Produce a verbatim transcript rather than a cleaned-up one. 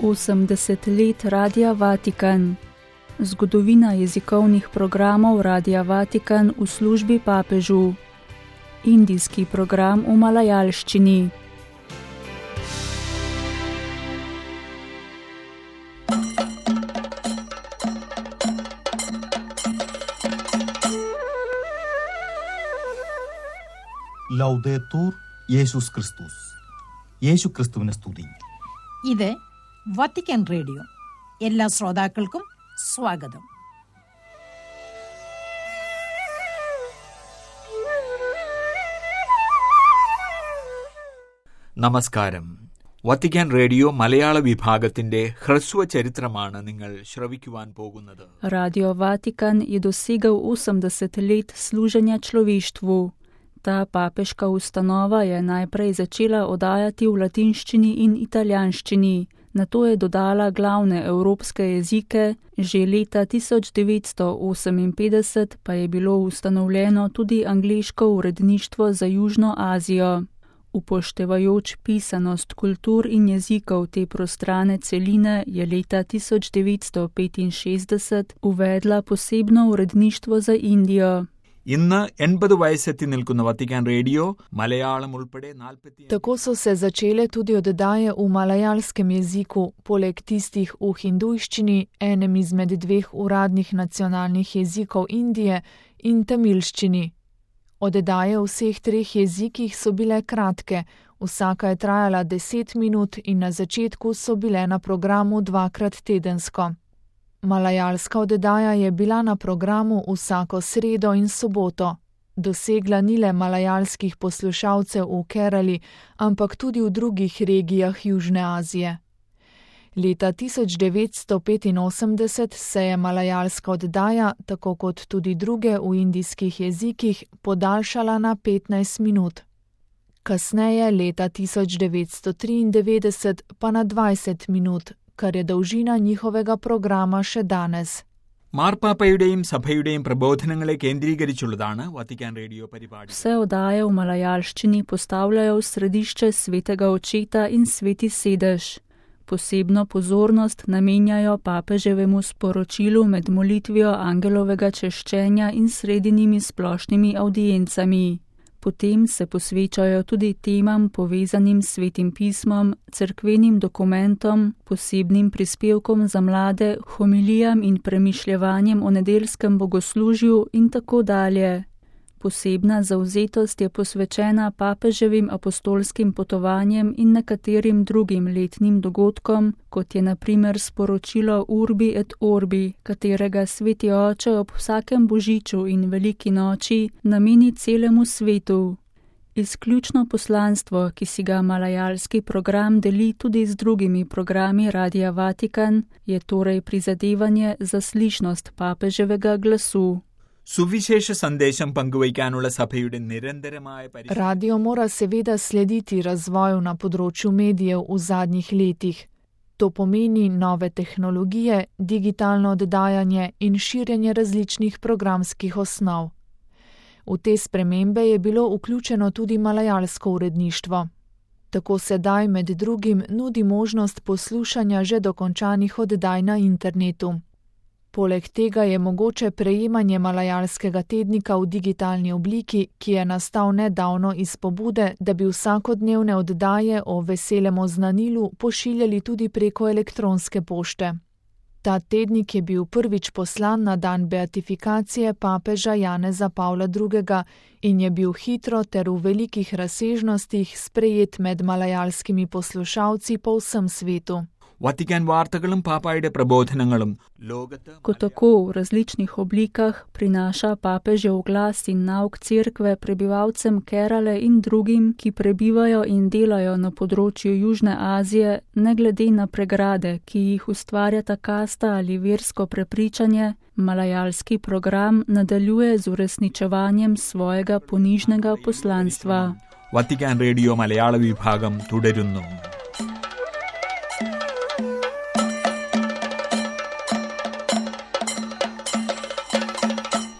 osemdeset let Radia Vatikan. Zgodovina jezikovnih programov Radia Vatikan v službi papežu. Indijski program v malajalščini. ലൗദേത്തൂർ യേശുസ് ക്രിസ്തുസ്. യേശു ക്രിസ്തുവിനെ സ്തുതി. ഇത് വത്തിക്കാൻ റേഡിയോ. എല്ലാ ശ്രോതാക്കൾക്കും സ്വാഗതം. നമസ്കാരം. വത്തിക്കാൻ റേഡിയോ മലയാള വിഭാഗത്തിന്റെ ഹ്രസ്വ ചരിത്രമാണ് നിങ്ങൾ ശ്രവിക്കുവാൻ പോകുന്നത്. Radio Vatikan je dosegel osemdeset let služenja človeštvu. Ta papeška ustanova je najprej začela oddajati v latinščini in italijanščini, nato je dodala glavne evropske jezike, že leta tisoč devetsto oseminpetdeset pa je bilo ustanovljeno tudi angleško uredništvo za Južno Azijo. Upoštevajoč pisanost kultur in jezikov te prostrane celine je leta tisoč devetsto petinšestdeset uvedla posebno uredništvo za Indijo. ഇന്ന് എൺപത് വയസ്സെത്തി നിൽക്കുന്ന Vatican radio Malayalam ഉൾപ്പെടെ നാൽപ്പത്തി Tako so se začele tudi oddaje v malajalskem jeziku, poleg tistih v hindujščini, enem izmed dveh uradnih nacionalnih jezikov Indije, in tamilščini. Oddaje v vseh treh jezikih so bile kratke, vsaka je trajala deset minut in na začetku so bile na programu dvakrat tedensko. Malajalska oddaja je bila na programu vsako sredo in soboto. Dosegla ni le malajalskih poslušalcev v Kerali, ampak tudi v drugih regijah Južne Azije. Leta tisoč devetsto petinosemdeset se je malajalska oddaja, tako kot tudi druge v indijskih jezikih, podaljšala na petnajst minut. Kasneje, leta tisoč devetsto triindevetdeset, pa na dvajset minut, kar je dolžina njihovega programa še danes. മാർപ്പാപ്പയുടെയും സഭയുടെയും പ്രബോധനങ്ങളെ കേന്ദ്രീകരിച്ചുള്ളതാണ് Vatican radio പരിപാടി. Vse oddaje v malajalščini postavljajo v središče svetega očeta in sveti sedež. Posebno pozornost namenjajo papeževemu sporočilu med molitvijo angelovega češčenja in sredinimi splošnimi avdiencami. Potem se posvečajo tudi temam povezanim s svetim pismom, cerkvenim dokumentom, posebnim prispevkom za mlade, homilijam in premišljevanjem o nedeljskem bogoslužju in tako dalje. Posebna zavzetost je posvečena papeževim apostolskim potovanjem in nekaterim drugim letnim dogodkom, kot je na primer sporočilo Urbi et Orbi, katerega sveti oče ob vsakem božiču in veliki noči nameni celemu svetu. Izključno poslanstvo, ki si ga malajalski program deli tudi z drugimi programi Radia Vatikan, je torej prizadevanje za slišnost papeževega glasu. സുവിശേഷ സന്ദേശം പങ്കുവയ്ക്കാനുള്ള സഭയുടെ നിരന്തരമായ പരിശ്രമം. Radio mora seveda slediti razvoju na področju medijev v zadnjih letih. To pomeni nove tehnologije, digitalno oddajanje in širjenje različnih programskih osnov. V te spremembe je bilo vključeno tudi malajalsko uredništvo. Tako sedaj med drugim nudi možnost poslušanja že dokončanih oddaj na internetu. Poleg tega je mogoče prejemanje malajalskega tednika v digitalni obliki, ki je nastal nedavno iz pobude, da bi vsakodnevne oddaje o veselem oznanilu pošiljali tudi preko elektronske pošte. Ta tednik je bil prvič poslan na dan beatifikacije papeža Janeza Pavla drugega in je bil hitro ter v velikih razsežnostih sprejet med malajalskimi poslušalci po vsem svetu. Vatican വാർത്തകളും പാപ്പായുടെ പ്രബോധനങ്ങളും ലോകത്ത് Ko tako v različnih oblikah prinaša papežev glas in nauk cerkve prebivalcem Kerale in drugim, ki prebivajo in delajo na področju Južne Azije, ne glede na pregrade, ki jih ustvarjata kasta ali versko prepričanje, malajalski program nadaljuje z uresničevanjem svojega ponižnega poslanstva. Vatican radio മലയാള വിഭാഗം തുടരുന്നു.